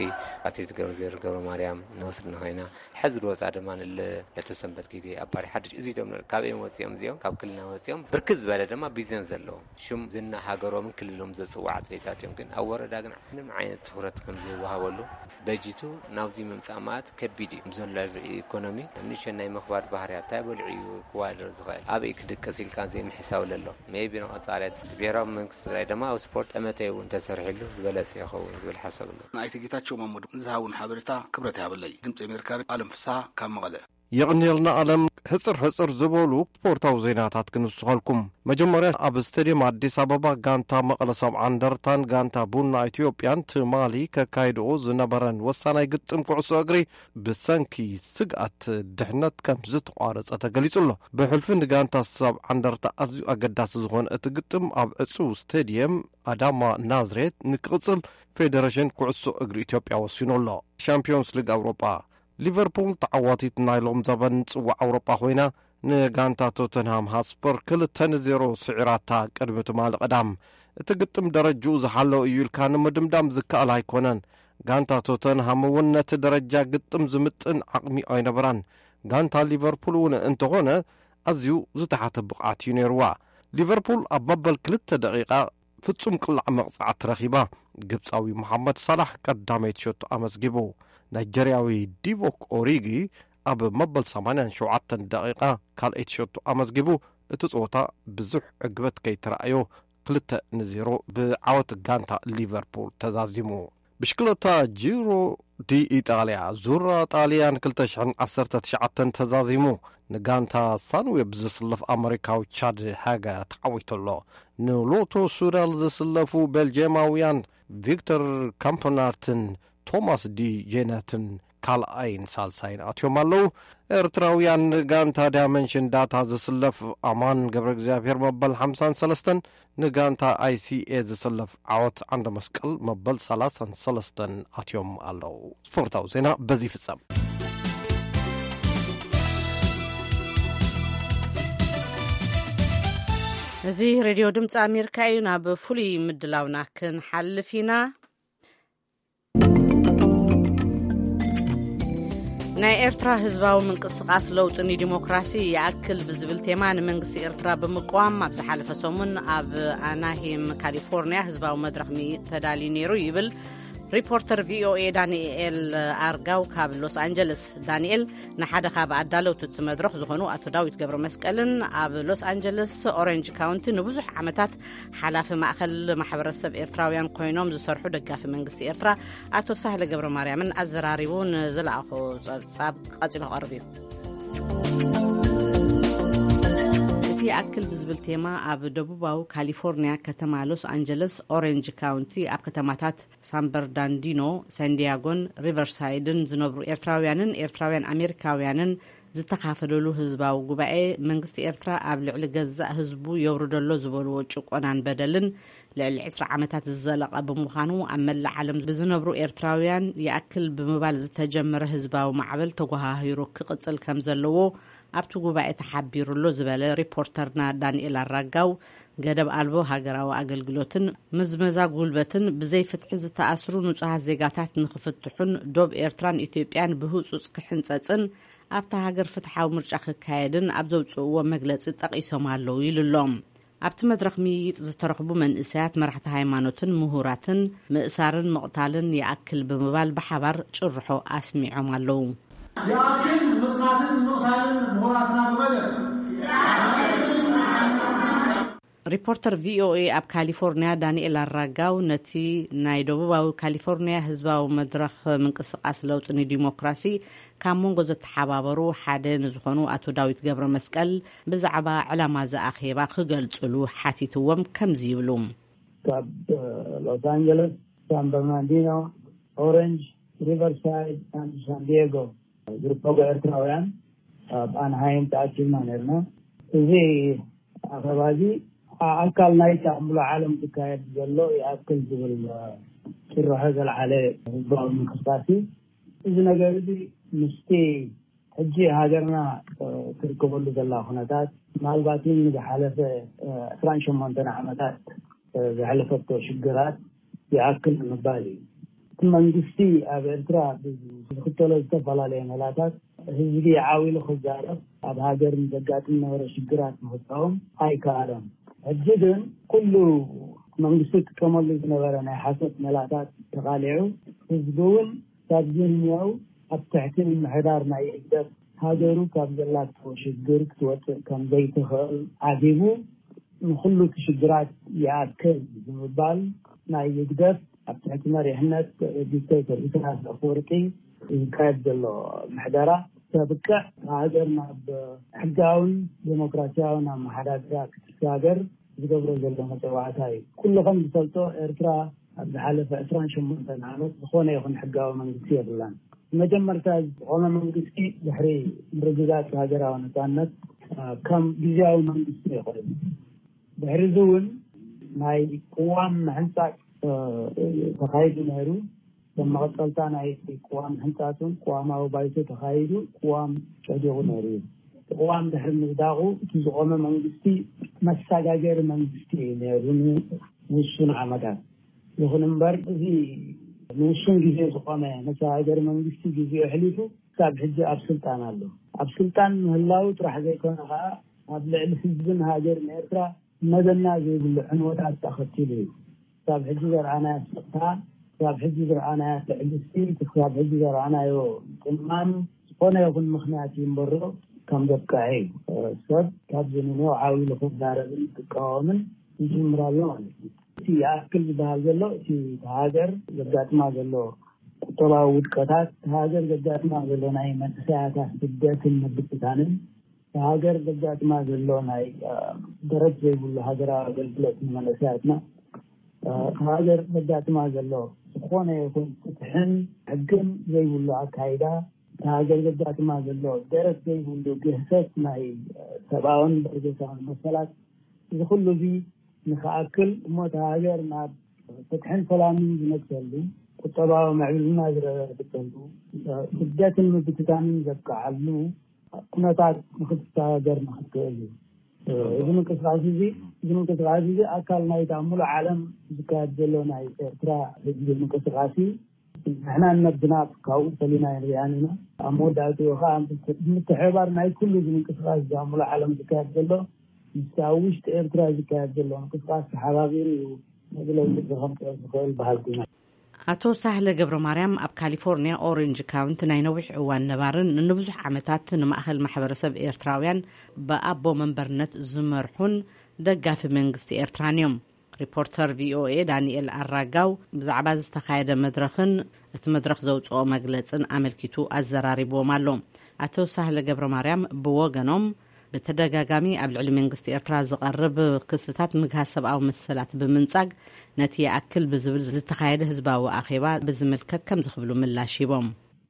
ኣትሌት ገብረዝሔር ገብረ ማርያም ንወስድ ንኸኢና ሕዚ ዝወፃ ድማ ንለ ለተሰንበት ጊዜ ኣባሪ ሓድሽ እዚኦም ካብ እዮም ወፂኦም እዚኦም ካብ ክልና ወፂኦም ብርክት ዝበለ ድማ ቢዝነስ ዘለዎም ሽም ዝና ሃገሮምን ክልሎም ዘፅውዕ ኣትሌታት እዮም። ግን ኣብ ወረዳ ግን ምንም ዓይነት ትኹረት ከም ዘይወሃበሉ በጂቱ ናብዚ ምምፃእ ማለት ከቢድ እዩ። ዘሎ ኢኮኖሚ ንእሽቶ ናይ ምኽባድ ባህርያት እንታይ በልዑ እዩ ክዋደር ዝኽእል ኣበይ ክድቅስ ኢልካ ዘይምሕሳብ ለሎ ሜቢ ንቐፃልያ ትምህርቲ ብሔራዊ መንግስቲ ትግራይ ድማ ኣብ ስፖርት ጠመተ እውን ተሰሪሕሉ ዝበለፀ ይኸውን ዝብል ሓሳብ ኣሎ። ንኣይተ ጌታቸው ማሞ ዝሃቡን ሓበሬታ ክብረት ይሃበለይ። ድምፂ ኣሜሪካ ኣለም ፍስሃ ካብ መቐለ። የቕንየልና ኣለም። ሕፅር ሕፅር ዝበሉ ስፖርታዊ ዜናታት ክንስኸልኩም። መጀመርያ ኣብ ስቴድየም ኣዲስ ኣበባ ጋንታ መቐለ ሰብዓ እንደርታን ጋንታ ቡና ኢትዮጵያን ትማሊ ከካይድኦ ዝነበረን ወሳናይ ግጥም ኩዕሶ እግሪ ብሰንኪ ስግኣት ድሕነት ከም ዝተቋረጸ ተገሊጹ ኣሎ። ብሕልፊ ንጋንታ ሰብዓ እንደርታ ኣዝዩ ኣገዳሲ ዝኾነ እቲ ግጥም ኣብ ዕጹው ስቴድየም ኣዳማ ናዝሬት ንክቕጽል ፌደሬሽን ኩዕሶ እግሪ ኢትዮጵያ ወሲኑ ኣሎ። ሻምፒዮንስ ሊግ ኣውሮጳ ሊቨርፑል ተዓዋቲት ናይ ሎም ዘበን ጽዋዕ ኣውሮጳ ኮይና ንጋንታ ቶተንሃም ሃትስፐር ክልተ ንዜሮ ስዒራታ ቅድሚ ትማሊ ቀዳም። እቲ ግጥም ደረጅኡ ዝሓለወ እዩ ኢልካ ንምድምዳም ዝከኣል ኣይኮነን። ጋንታ ቶተንሃም እውን ነቲ ደረጃ ግጥም ዝምጥን ዓቕሚ ኣይነበራን። ጋንታ ሊቨርፑል እውን እንተኾነ ኣዝዩ ዝተሓተ ብቕዓት እዩ ነይርዋ። ሊቨርፑል ኣብ መበል ክልተ ደቂቓ ፍጹም ቅላዕ መቕጻዕቲ ረኺባ። ግብጻዊ መሓመድ ሳላሕ ቀዳመይቲ ሸቶ ኣመዝጊቡ። ናይጀርያዊ ዲቮክ ኦሪጊ ኣብ መበል ሰማንያን ሸውዓተን ደቂቓ ካልኣይቲ ሸቶ ኣመዝጊቡ። እቲ ጸወታ ብዙሕ ዕግበት ከይተራእዮ ክልተ ንዜሮ ብዓወት ጋንታ ሊቨርፑል ተዛዚሙ። ብሽክለታ ጂሮ ዲ ኢጣልያ ዙራ ጣልያን ክልተ ሽሕን ዓሰርተ ትሽዓተን ተዛዚሙ። ንጋንታ ሳንዌብ ዝስለፍ ኣመሪካዊ ቻድ ሃጋ ተዓዊቱ ኣሎ። ንሎቶ ሱዳል ዝስለፉ ቤልጅየማውያን ቪክተር ካምፕናርትን ቶማስ ዲ ጄነትን ካልኣይን ሳልሳይን ኣትዮም ኣለዉ። ኤርትራውያን ንጋንታ ዳይመንሽን ዳታ ዝስለፍ ኣማን ገብረ እግዚኣብሔር መበል ሓምሳን ሰለስተን፣ ንጋንታ ኣይሲኤ ዝስለፍ ዓወት ዓንደ መስቀል መበል ሰላሳን ሰለስተን ኣትዮም ኣለዉ። ስፖርታዊ ዜና በዚ ይፍጸም። እዚ ሬድዮ ድምፂ ኣሜሪካ እዩ። ናብ ፍሉይ ምድላውና ክንሓልፍ ኢና። ናይ ኤርትራ ህዝባዊ ምንቅስቃስ ለውጢ ንዲሞክራሲ ይኣክል ብዝብል ቴማ ንመንግስቲ ኤርትራ ብምቅዋም ኣብ ዝሓለፈ ሰሙን ኣብ ኣናሂም ካሊፎርኒያ ህዝባዊ መድረኽ ሚ-፣ ተዳልዩ ነይሩ ይብል ሪፖርተር ቪኦኤ ዳንኤል ኣርጋው ካብ ሎስ ኣንጀለስ። ዳንኤል ንሓደ ካብ ኣዳለውቲ እቲ መድረኽ ዝኾኑ ኣቶ ዳዊት ገብረ መስቀልን ኣብ ሎስ ኣንጀለስ ኦሬንጅ ካውንቲ ንብዙሕ ዓመታት ሓላፊ ማእኸል ማሕበረሰብ ኤርትራውያን ኮይኖም ዝሰርሑ ደጋፊ መንግስቲ ኤርትራ ኣቶ ሳህለ ገብረ ማርያምን ኣዘራሪቡ ንዝለኣኾ ጸብጻብ ቀጺሉ ክቐርብ እዩ። ይኣክል ብዝብል ቴማ፣ ኣብ ደቡባዊ ካሊፎርኒያ ከተማ ሎስ ኣንጀለስ ኦሬንጅ ካውንቲ፣ ኣብ ከተማታት ሳን በርናርዲኖ፣ ሳንዲያጎን ሪቨርሳይድን ዝነብሩ ኤርትራውያንን ኤርትራውያን ኣሜሪካውያንን ዝተኻፈለሉ ህዝባዊ ጉባኤ፣ መንግስቲ ኤርትራ ኣብ ልዕሊ ገዛእ ህዝቡ የውርደሎ ዝበልዎ ጭቆናን በደልን፣ ልዕሊ ዕስራ ዓመታት ዝዘለቐ ብምዃኑ፣ ኣብ መላእ ዓለም ብዝነብሩ ኤርትራውያን ይኣክል ብምባል ዝተጀመረ ህዝባዊ ማዕበል ተጓሃሂሩ ክቕጽል ከም ዘለዎ ኣብቲ ጉባኤ ተሓቢሩሎ ዝበለ ሪፖርተርና ዳንኤል ኣራጋው፣ ገደብ ኣልቦ ሃገራዊ ኣገልግሎትን ምዝመዛ ጉልበትን፣ ብዘይ ፍትሒ ዝተኣስሩ ንጹሃት ዜጋታት ንኽፍትሑን ዶብ ኤርትራን ኢትዮጵያን ብህጹጽ ክሕንጸጽን ኣብታ ሃገር ፍትሓዊ ምርጫ ክካየድን ኣብ ዘውጽእዎ መግለጺ ጠቒሶም ኣለዉ ኢሉ ኣሎ። ኣብቲ መድረኽ ምይይጥ ዝተረኽቡ መንእሰያት፣ መራሕቲ ሃይማኖትን ምሁራትን፣ ምእሳርን ምቕታልን ይኣክል ብምባል ብሓባር ጭርሖ ኣስሚዖም ኣለዉ። ይኣክል ምጽናትን ምቕታልን ምሁራትና ብመደብ። ሪፖርተር ቪኦኤ ኣብ ካሊፎርኒያ ዳንኤል ኣራጋው፣ ነቲ ናይ ደቡባዊ ካሊፎርኒያ ህዝባዊ መድረኽ ምንቅስቃስ ለውጢ ንዲሞክራሲ ካብ መንጎ ዘተሓባበሩ ሓደ ንዝኾኑ ኣቶ ዳዊት ገብረ መስቀል፣ ብዛዕባ ዕላማ እዚ ኣኼባ ክገልጽሉ ሓቲትዎም ከምዚ ይብሉ። ካብ ሎስ ኣንጀለስ፣ ሳን በርናርዲኖ፣ ኦሬንጅ፣ ሪቨርሳይድ፣ ሳን ዲየጎ ዝርከቡ ኤርትራውያን ኣብ ኣንሃይም ተኣኪብና ነርና። እዚ ኣኸባ እዚ ኣካል ናይቲ ኣብ ሙሉእ ዓለም ዝካየድ ዘሎ ይኣክል ዝብል ጭርሖ ዘልዓለ ህዝባዊ ምንቅስቃስ እዩ። እዚ ነገር እዚ ምስቲ ሕጂ ሃገርና ትርከበሉ ዘላ ኩነታት፣ ምናልባት እውን ንዝሓለፈ ዕስራን ሸሞንተን ዓመታት ዘሕለፈቶ ሽግራት ይኣክል ንምባል እዩ። እቲ መንግስቲ ኣብ ኤርትራ ዝኽተሎ ዝተፈላለየ መላታት፣ ህዝቢ ዓው ኢሉ ክዛረብ፣ ኣብ ሃገር ንዘጋጥም ነበረ ሽግራት ንክቃወም ኣይከኣለን። ሕጂ ግን ኩሉ መንግስቲ ክጥቀመሉ ዝነበረ ናይ ሓሶት መላታት ተቓሊዑ፣ ህዝቢ እውን ካብዚ ንየው ኣብ ትሕቲ ምምሕዳር ናይ ህግደፍ ሃገሩ ካብ ዘላቶ ሽግር ክትወፅእ ከም ዘይትኽእል ዓጊቡ፣ ንኹሉ እቲ ሽግራት ይኣክል ብምባል ናይ ህግደፍ ኣብ ትሕቲ መሪሕነት ዲክተተር ኢሳያስ ኣፈወርቂ ዝካየድ ዘሎ ምሕደራ ከብቅዕ፣ ሃገር ናብ ሕጋውን ዴሞክራሲያውን ኣመሓዳድራ ክትሰጋገር ዝገብሮ ዘሎ መጸዋዕታ እዩ። ኩሉ ከም ዝፈልጦ፣ ኤርትራ ኣብ ዝሓለፈ ዕስራን ሸሞንተን ዓመት ዝኾነ ይኹን ሕጋዊ መንግስቲ የብላን። መጀመርታ ዝቆመ መንግስቲ ድሕሪ ምርግጋጽ ሃገራዊ ነጻነት፣ እ፣ ከም ግዝያዊ መንግስቲ ይኾነ። ድሕሪ እዚ እውን ናይ ቅዋም ምሕንጻጽ፣ እ፣ ተኻይዱ ነይሩ። ከም መቐጸልታ ናይ ቅዋም ምሕንጻጽ እውን ቅዋማዊ ባይቶ ተኻይዱ፣ ቅዋም ጸዲቑ ነይሩ እዩ። እቲ ቅዋም ድሕሪ ምጽዳቑ፣ እቲ ዝቆመ መንግስቲ መሰጋገሪ መንግስቲ እዩ ነይሩ ንውሱን ዓመታት። ይኹን እምበር፣ እዚ ንውሱን ግዜ ዝቆመ መሰጋገሪ መንግስቲ ግዜኡ ኣሕሊፉ ክሳብ ሕጂ ኣብ ስልጣን ኣሎ። ኣብ ስልጣን ምህላው ጥራሕ ዘይኮነ ከኣ፣ ኣብ ልዕሊ ህዝብን ሃገርን ኤርትራ መዘና ዘይብሉ ዕንወታት ኣኸቲሉ እዩ። ክሳብ ሕጂ ዘርኣናዮ ስቕታ፣ ክሳብ ሕጂ ዘርኣናዮ ትዕግስቲ፣ ክሳብ ሕጂ ዘርኣናዮ ምጽማም ዝኾነ ይኹን ምኽንያት እዩ እምበሮ ከም ዘብቅዐ እዩ። ሰብ ካብ ዝንነው ዓው ኢሉ ክዛረብን ክቃወምን ይጅምር ኣሎ ማለት እዩ። እቲ ይኣክል ዝበሃል ዘሎ፣ እቲ ሃገር ዘጋጥማ ዘሎ ቁጠባዊ ውድቀታት፣ ሃገር ዘጋጥማ ዘሎ ናይ መንእሰያታ ስደትን ምብትታንን፣ ሃገር ዘጋጥማ ዘሎ ናይ፣ እ፣ ደረት ዘይብሉ ሃገራዊ ኣገልግሎት ንመንእሰያትና፣ እ፣ ሃገር ዘጋጥማ ዘሎ ዝኾነ ይኹን ፍትሕን ሕግን ዘይብሉ ኣካይዳ፣ ሃገር ዘጋጥማ ዘሎ ደረት ዘይብሉ ግህሰት ናይ፣ እ፣ ሰብኣውን በርገሳውን መሰላት፣ እዚ ኩሉ እዚ ንኽኣክል እሞ፣ እታ ሃገር ናብ ፍትሕን ሰላምን ዝነግሰሉ፣ ቁጠባዊ ምዕብልና ዝረጋግጸሉ፣ እ፣ ስደትን ምብትታንን ዘብቅዓሉ ኩነታት ንክትሰጋገር ንክትክእል እዩ። እዚ ምንቅስቃስ እዚ፣ እዚ ምንቅስቃስ እዚ ኣካል ናይታ ሙሉእ ዓለም ዝካየድ ዘሎ ናይ ኤርትራ ህዝቢ ምንቅስቃስ እዩ። ንሕና ነብና ካብኡ ፈሊና ኣይንሪኣን ኢና። ኣብ መወዳእትኡ ከዓ ምትሕብባር ናይ ኩሉ እዚ ምንቅስቃስ እዚ ኣብ ሙሉእ ዓለም ዝካየድ ዘሎ፣ ምስቲ ኣብ ውሽጢ ኤርትራ ዝካየድ ዘሎ ምንቅስቃስ ተሓባቢሩ እዩ ነዚ ለውጢ እዚ ከምፅኦ ዝኽእል በሃልቲ ኢና። ኣቶ ሳህለ ገብረ ማርያም ኣብ ካሊፎርኒያ ኦሬንጅ ካውንቲ ናይ ነዊሕ እዋን ነባርን ንብዙሕ ዓመታት ንማእኸል ማሕበረሰብ ኤርትራውያን ብኣቦ መንበርነት ዝመርሑን ደጋፊ መንግስቲ ኤርትራን እዮም። ሪፖርተር ቪኦኤ ዳንኤል ኣራጋው ብዛዕባ ዝተኻየደ መድረኽን እቲ መድረኽ ዘውፅኦ መግለፅን ኣመልኪቱ ኣዘራሪብዎም ኣሎ። ኣቶ ሳህለ ገብረ ማርያም ብወገኖም፣ ብተደጋጋሚ ኣብ ልዕሊ መንግስቲ ኤርትራ ዝቐርብ ክስታት ምግሃስ ሰብኣዊ መሰላት ብምንጻግ፣ ነቲ ይኣክል ብዝብል ዝተኻየደ ህዝባዊ ኣኼባ ብዝምልከት ከምዚ ክብሉ ምላሽ ሂቦም።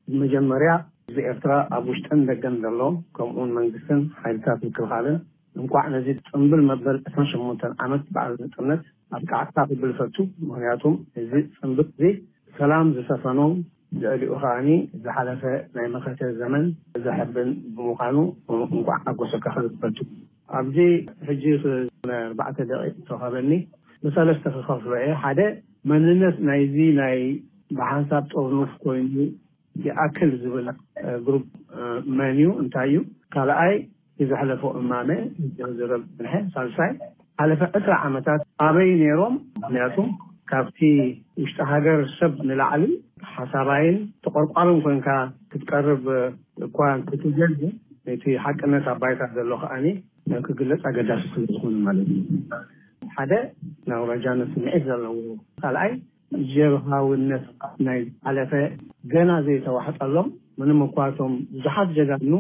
ብመጀመርያ፣ ህዝቢ ኤርትራ ኣብ ውሽጥን ደገን ዘሎ፣ ከምኡውን መንግስትን ሓይልታት ምክልኻልን፣ እንኳዕ ነዚ ጽምብል መበል ዕስራን ሸሞንተን ዓመት በዓል ናጽነት ኣብቅዓካ ክብል እፈቱ። ምኽንያቱም እዚ ጽምብል እዚ ሰላም ዝሰፈኖ፣ ልዕሊኡ ከኣኒ ዝሓለፈ ናይ መኸተ ዘመን ዘሐብን ብምዃኑ፣ እንኳዕ ሓጎሰካ ክብል እፈቱ። ኣብዚ ሕጂ ክ-፣ ኣርባዕተ ደቂቕ ዝተዋህበኒ፣ ብሰለስተ ክኸፍሎ እየ። ሓደ፣ መንነት ናይዚ ናይ ብሓንሳብ ጥርኑፍ ኮይኑ ይኣክል ዝብል፣ እ፣ ግሩፕ፣ እ፣ መን እዩ፣ እንታይ እዩ? ካልኣይ፣ እቲ ዘሕለፎ እማመ ዝርብ ዝንሐ። ሳልሳይ፣ ሓለፈ ዕስራ ዓመታት ኣበይ ነይሮም? ምኽንያቱም ካብቲ ውሽጢ ሃገር ሰብ ንላዕሊ ሓሳባይን ተቆርቋርን ኮንካ ክትቀርብ እኳ እንተትደሊ፣ እቲ ሓቅነት ኣብ ባይታ ዘሎ ከኣኒ ክግለጽ ኣገዳሲ ስለ ዝኾነ ማለት እዩ። ሓደ፣ ናይ ኣውራጃነት ስምዒት ዘለዎ፣ ካልኣይ፣ ጀብሃውነት ናይ ዝሓለፈ ገና ዘይተዋሕጠሎም፣ ምንም እኳ እቶም ብዙሓት ጀጋኑ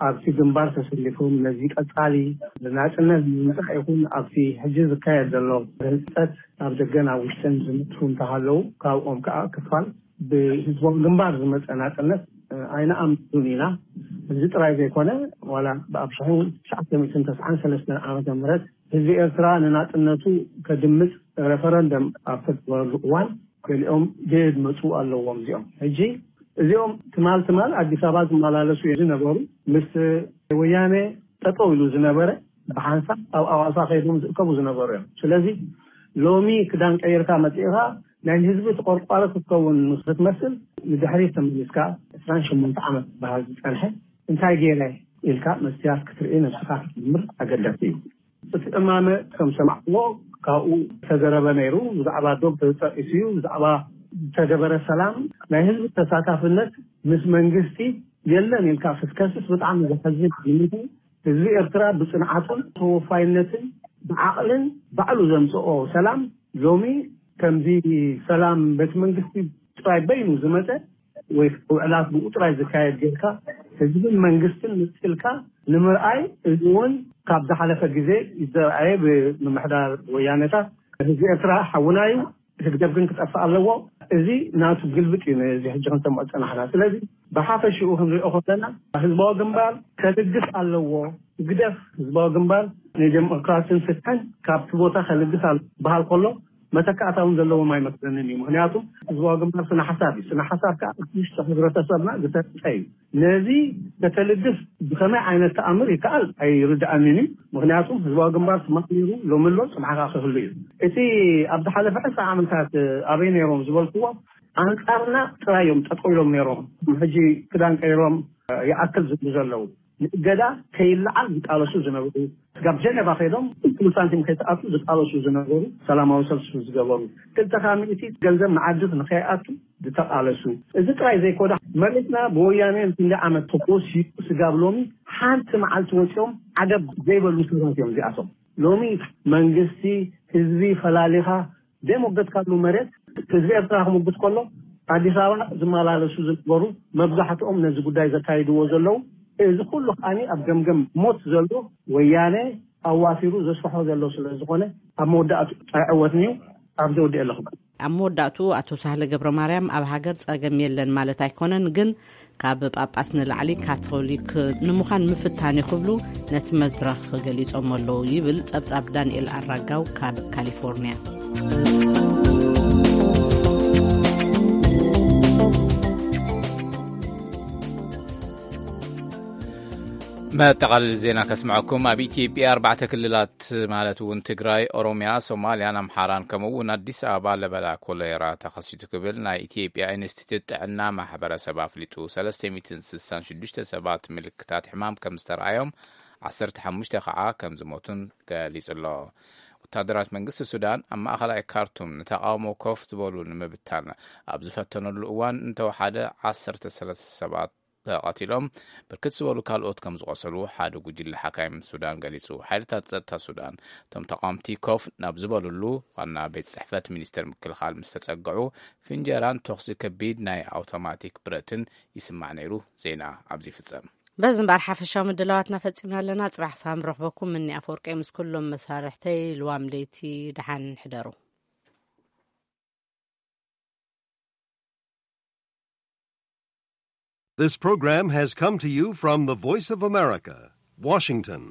ኣብቲ ግንባር ተሰሊፎም ነዚ ቀጻሊ ናጽነት ንምምጻእ ይኹን ኣብቲ ሕጂ ዝካየድ ዘሎ ህንጸት ኣብ ደገን ኣብ ውሽጥን ዝነጥፉ እንተሃለዉ፣ ካብኦም ከኣ ክፋል ብህዝባዊ ግንባር ዝመጸ ናጽነት ኣይንኣምኑን ኢና። እዚ ጥራይ ዘይኮነ፣ ዋላ ብኣብ ሽሕን ትሽዓተ ሚእትን ተስዓን ሰለስተን ዓመተ ምህረት ህዝቢ ኤርትራ ንናጽነቱ ከድምጽ ሬፈረንደም ኣብ ተገበረሉ እዋን፣ ገሊኦም ድድ መጹ ኣለዎም። እዚኦም ሕጂ እዚኦም ትማል ትማል ኣዲስ ኣበባ ዝመላለሱ ዝነበሩ፣ ምስ ወያነ ጠጠው ኢሉ ዝነበረ፣ ብሓንሳብ ኣብ ኣዋሳ ከይዶም ዝእከቡ ዝነበሩ እዮም። ስለዚ ሎሚ ክዳን ቀይርካ መጺእኻ ናይ ህዝቢ ተቆርቋሪ ክትከውን ክትመስል፣ ንድሕሪት ተመሊስካ ዕስራን ሸሞንተ ዓመት ዝበሃል ዝጸንሐ እንታይ ገይረ ኢልካ መስትያት ክትርኢ ነብስኻ ክትምርምር ኣገዳሲ እዩ። እቲ እማመ ከም ሰማዕዎ ካብኡ ዝተዘረበ ነይሩ። ብዛዕባ ዶብ ተጠቂሱ እዩ። ብዛዕባ ዝተገበረ ሰላም ናይ ህዝቢ ተሳታፍነት ምስ መንግስቲ የለን ኢልካ ክትከስስ ብጣዕሚ ዘሐዝን እዩ። ህዝቢ ኤርትራ ብጽንዓቱን ተወፋይነትን ብዓቕልን ባዕሉ ዘምጽኦ ሰላም ሎሚ ከምዚ ሰላም ቤት መንግስቲ ጥራይ በይኑ ዝመጸ ወይ ውዕላት ብኡ ጥራይ ዝካየድ ጌርካ ህዝብን መንግስትን ምጽልካ ንምርኣይ፣ እዚ እውን ካብ ዝሓለፈ ግዜ ዝተረኣየ ብምምሕዳር ወያነታት። ህዝቢ ኤርትራ ሓውና እዩ፣ ህግደፍ ግን ክጠፍእ ኣለዎ። እዚ ናቱ ግልብጥ እዩ። ነዚ ሕጂ ክንሰምዖ ዝጸናሕና። ስለዚ ብሓፈሽኡ ክንሪኦ ከለና ህዝባዊ ግንባር ከልግስ ኣለዎ። ህግደፍ ህዝባዊ ግንባር ንዴሞክራሲን ፍትሕን ካብቲ ቦታ ከልግስ ኣሎ በሃል ከሎ መተካእታ እውን ዘለዎም ኣይመስለንን እዩ። ምክንያቱ ህዝባዊ ግንባር ስነ ሓሳብ እዩ። ስነ ሓሳብ ከዓ እቲ ውሽጢ ሕብረተሰብና ዝተርፀ እዩ። ነዚ ከተልግስ ብከመይ ዓይነት ተኣምር ይከኣል ኣይርድኣንን እዩ። ምክንያቱ ህዝባዊ ግንባር ትማሊ ነይሩ፣ ሎሚ ኣሎ፣ ፅባሕ ከዓ ክህሉ እዩ። እቲ ኣብ ዝሓለፈ ዕስራ ዓመታት ኣበይ ነይሮም ዝበልክዎ ኣንፃርና ጥራይ እዮም ጠጠው ኢሎም ነይሮም። ሕጂ ክዳን ቀይሮም ይኣክል ዝብሉ ዘለዉ ንእገዳ ከይለዓል ዝቃለሱ ዝነበሩ፣ ስጋብ ጀነቫ ከይዶም ኩሉ ሳንቲም ከይተኣቱ ዝቃለሱ ዝነበሩ፣ ሰላማዊ ሰልፊ ዝገበሩ፣ ክልተ ካብ ሚእቲ ገንዘብ ንዓዲ ንከይኣቱ ዝተቃለሱ። እዚ ጥራይ ዘይኮነ መሬትና ብወያነ ክንዲ ዓመት ተኮስዩ ስጋብ ሎሚ ሓንቲ መዓልቲ ወፂኦም ዓገብ ዘይበሉ ሰባት እዮም እዚኣቶም። ሎሚ መንግስቲ ህዝቢ ፈላሊኻ ደም ወገድካሉ መሬት ህዝቢ ኤርትራ ክምጉት ከሎ ኣዲስ ኣበባ ዝመላለሱ ዝነበሩ መብዛሕትኦም ነዚ ጉዳይ ዘካይድዎ ዘለዉ፣ እዚ ኩሉ ከዓኒ ኣብ ገምገም ሞት ዘሎ ወያነ ኣዋፊሩ ዘስፍሖ ዘሎ ስለ ዝኾነ ኣብ መወዳእቱ ኣይዕወትን እዩ። ኣብዚ ወዲኤ ኣለኹ። ኣብ መወዳእቱ ኣቶ ሳህለ ገብረ ማርያም ኣብ ሃገር ጸገም የለን ማለት ኣይኮነን፣ ግን ካብ ጳጳስ ንላዕሊ ካቶሊክ ንምዃን ምፍታን እዩ ክብሉ ነቲ መድረኽ ገሊጾም ኣለዉ ይብል ጸብጻብ ዳንኤል ኣራጋው ካብ ካሊፎርኒያ። መጠቓለሊ ዜና ከስምዐኩም። ኣብ ኢትዮጵያ ኣርባዕተ ክልላት ማለት እውን ትግራይ፣ ኦሮሚያ፣ ሶማልያን ኣምሓራን ከምኡ እውን ኣዲስ ኣበባ ለበዳ ኮሌራ ተኸሲቱ ክብል ናይ ኢትዮጵያ ኢንስቲትዩት ጥዕና ማሕበረሰብ ኣፍሊጡ። ሰለስተ ሚእትን ስሳን ሽዱሽተ ሰባት ምልክታት ሕማም ከም ዝተረኣዮም፣ ዓሰርተ ሓሙሽተ ከዓ ከም ዝሞቱን ገሊጹ ኣሎ። ወታደራት መንግስቲ ሱዳን ኣብ ማእኸላይ ካርቱም ንተቓውሞ ኮፍ ዝበሉ ንምብታን ኣብ ዝፈተነሉ እዋን እንተወሓደ ዓሰርተ ሰለስተ ሰባት ተቐቲሎም፣ ብርክት ዝበሉ ካልኦት ከም ዝቖሰሉ ሓደ ጉጅለ ሓካይም ሱዳን ገሊጹ። ሓይልታት ጸጥታ ሱዳን እቶም ተቓወምቲ ኮፍ ናብ ዝበሉሉ ዋና ቤት ጽሕፈት ሚኒስተር ምክልኻል ምስ ተጸግዑ፣ ፍንጀራን ተኹሲ ከቢድ ናይ ኣውቶማቲክ ብረትን ይስማዕ ነይሩ። ዜና ኣብዚ ይፍጸም። በዚ እምበኣር ሓፈሻዊ ምድላዋትና ፈጺምና ኣለና። ጽባሕ ሳም ረኽበኩም ምኒ ኣፈወርቂ ምስ ኩሎም መሳርሕተይ ልዋም ለይቲ ደሓን ሕደሩ። This program has come to you from the Voice of America, Washington.